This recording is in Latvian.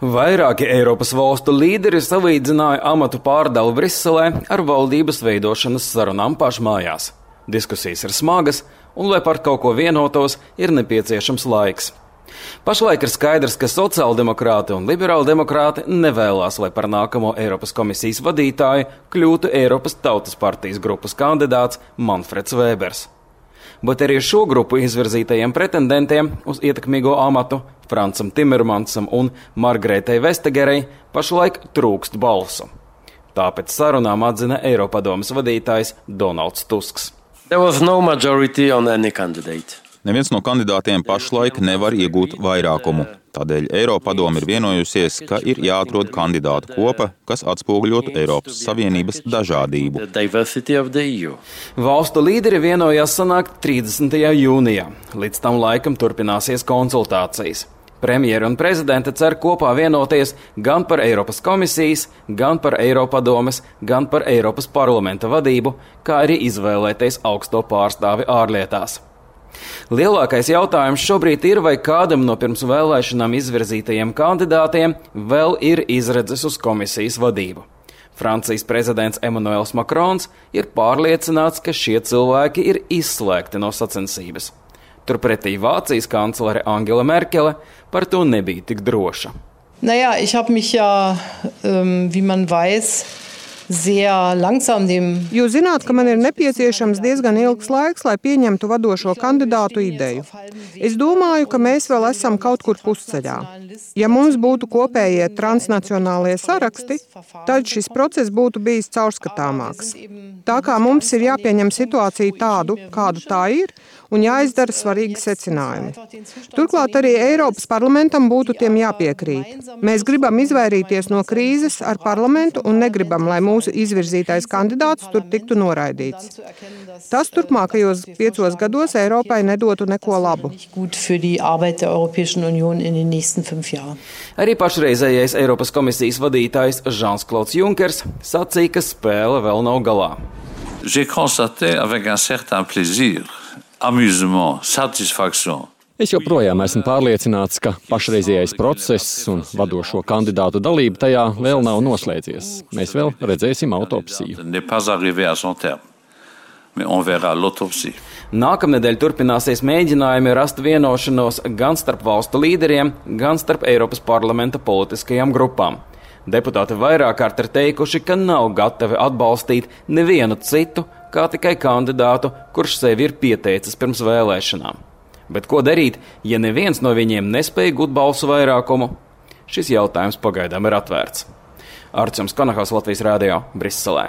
Vairāki Eiropas valstu līderi salīdzināja amatu pārdalu Briselē ar valdības veidošanas sarunām pašmājās. Diskusijas ir smagas, un, lai par kaut ko vienotos, ir nepieciešams laiks. Pašlaik ir skaidrs, ka sociāldemokrāti un liberāldemokrāti nevēlās, lai par nākamo Eiropas komisijas vadītāju kļūtu Eiropas Tautas partijas grupas kandidāts Manfreds Vēbers. Bet arī šo grupu izvirzītajiem pretendentiem uz ietekmīgo amatu Francam Timermansam un Margretai Vestagerei pašlaik trūkst balsu. Tāpēc sarunām atzina Eiropadomes vadītājs Donalds Tusks. Neviens no kandidātiem pašlaik nevar iegūt vairākumu. Tādēļ Eiropadome ir vienojusies, ka ir jāatrod kandidātu kopa, kas atspoguļotu Eiropas Savienības dažādību. Valstu līderi vienojās sanākt 30. jūnijā. Līdz tam laikam turpināsies konsultācijas. Premjeri un prezidente cer kopā vienoties gan par Eiropas komisijas, gan par Eiropadomes, gan par Eiropas parlamenta vadību, kā arī izvēlēties augsto pārstāvi ārlietās. Lielākais jautājums šobrīd ir, vai kādam no pirms vēlēšanām izvirzītajiem kandidātiem vēl ir izredzes uz komisijas vadību. Francijas prezidents Emmanuels Macrons ir pārliecināts, ka šie cilvēki ir izslēgti no sacensības. Turpretī Vācijas kanclere Angela Merkele par to nebija tik droša. Ich habe mich ja, wie man weiß, sehr langsam dem... Jūs zināt, ka man ir nepieciešams diezgan ilgs laiks, lai pieņemtu vadošo kandidātu ideju. Es domāju, ka mēs vēl esam kaut kur pusceļā. Ja mums būtu kopējie transnacionālie saraksti, tad šis process būtu bijis caurskatāmāks. Tā kā mums ir jāpieņem situācija tādu, kāda tā ir, un jāizdara svarīgi secinājumi. Turklāt arī Eiropas parlamentam būtu tiem jāpiekrīt. Mēs gribam izvairīties no krīzes ar parlamentu un negribam, lai mūsu izvirzītais kandidāts tur tiktu noraidīts. Tas turpmākajos 5 gados Eiropai nedotu neko labu. Arī pašreizējais Eiropas komisijas vadītājs Žans-Klauds Junkers sacīja, ka spēle vēl nav galā. J'ai constaté avec un certain plaisir, amusement, satisfaction. Es joprojām esmu pārliecināts, ka pašreizējais process un vadošo kandidātu dalība tajā vēl nav noslēdzies. Mēs vēl redzēsim autopsiju. Nākamnedēļ turpināsies mēģinājumi rast vienošanos gan starp valstu līderiem, gan starp Eiropas parlamenta politiskajām grupām. Deputāti vairāk kārt ir teikuši, ka nav gatavi atbalstīt nevienu citu, kā tikai kandidātu, kurš sevi ir pieteicis pirms vēlēšanām. Bet ko darīt, ja neviens no viņiem nespēja gūt balsu vairākumu? Šis jautājums pagaidām ir atvērts. Arčuns Konahals, Latvijas radio, Briselē.